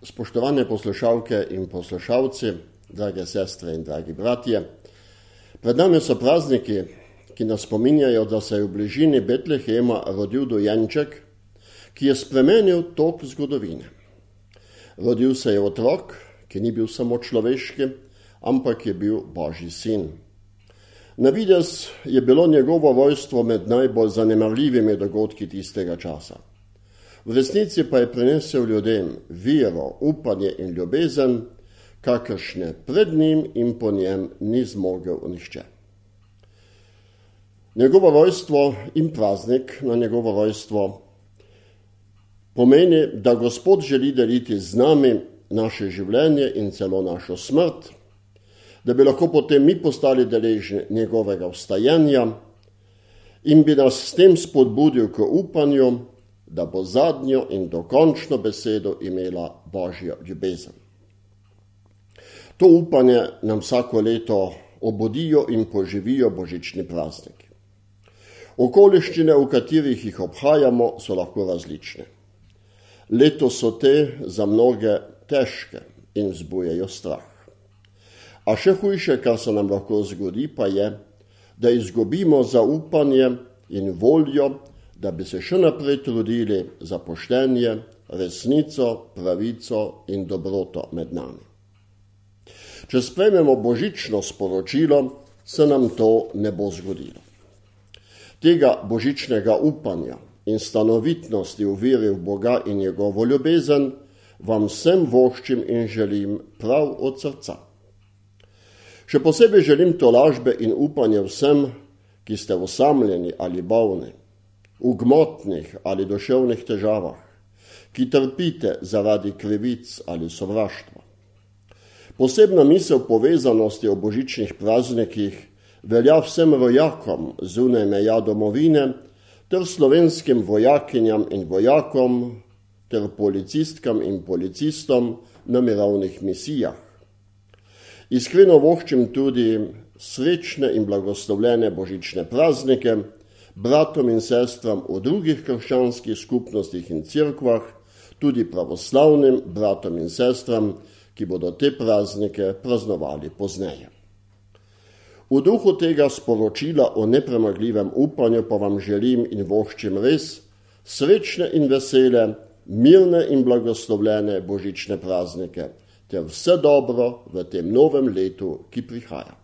Spoštovane poslušalke in poslušalci, drage sestre in dragi bratje, pred nami so prazniki, ki nas spominjajo, da se je v bližini Betlehema rodil dojenček, ki je spremenil tok zgodovine. Rodil se je otrok, ki ni bil samo človeški, ampak je bil Božji sin. Na videz je bilo njegovo rojstvo med najbolj zanemarljivimi dogodki tistega časa. V resnici pa je prinesel ljudem vero, upanje in ljubezen, kakršne pred njim in po njem ni zmogel nihče. Njegovo rojstvo in praznik na njegovo rojstvo pomeni, da Gospod želi deliti z nami naše življenje in celo našo smrt, da bi lahko potem mi postali deležni njegovega vstajenja in bi nas s tem spodbudil k upanju, da bo zadnjo in dokončno besedo imela Božja ljubezen. To upanje nam vsako leto obudijo in poživijo božični prazniki. Okoliščine, v katerih jih obhajamo, so lahko različne. Letos so te za mnoge težke in vzbujajo strah. A še hujše, kar se nam lahko zgodi, pa je, da izgubimo zaupanje in voljo, da bi se še naprej trudili za poštenje, resnico, pravico in dobroto med nami. Če sprejmemo božično sporočilo, se nam to ne bo zgodilo. Tega božičnega upanja in stanovitnosti v veri v Boga in njegovo ljubezen vam vsem voščim in želim prav od srca. Še posebej želim tolažbe in upanje vsem, ki ste osamljeni ali bolni, v gmotnih ali duševnih težavah, ki trpite zaradi krivic ali sovraštva. Posebna misel povezanosti o božičnih praznikih velja vsem vojakom zunaj meja domovine ter slovenskim vojakinjam in vojakom ter policistkam in policistom na mirovnih misijah. Iskreno voščim tudi srečne in blagoslovljene božične praznike bratom in sestram v drugih krščanskih skupnostih in cerkvah, tudi pravoslavnim bratom in sestram, ki bodo te praznike praznovali pozneje. V duhu tega sporočila o nepremagljivem upanju pa vam želim in voščim res srečne in vesele, mirne in blagoslovljene božične praznike ter vse dobro v tem novem letu, ki prihaja.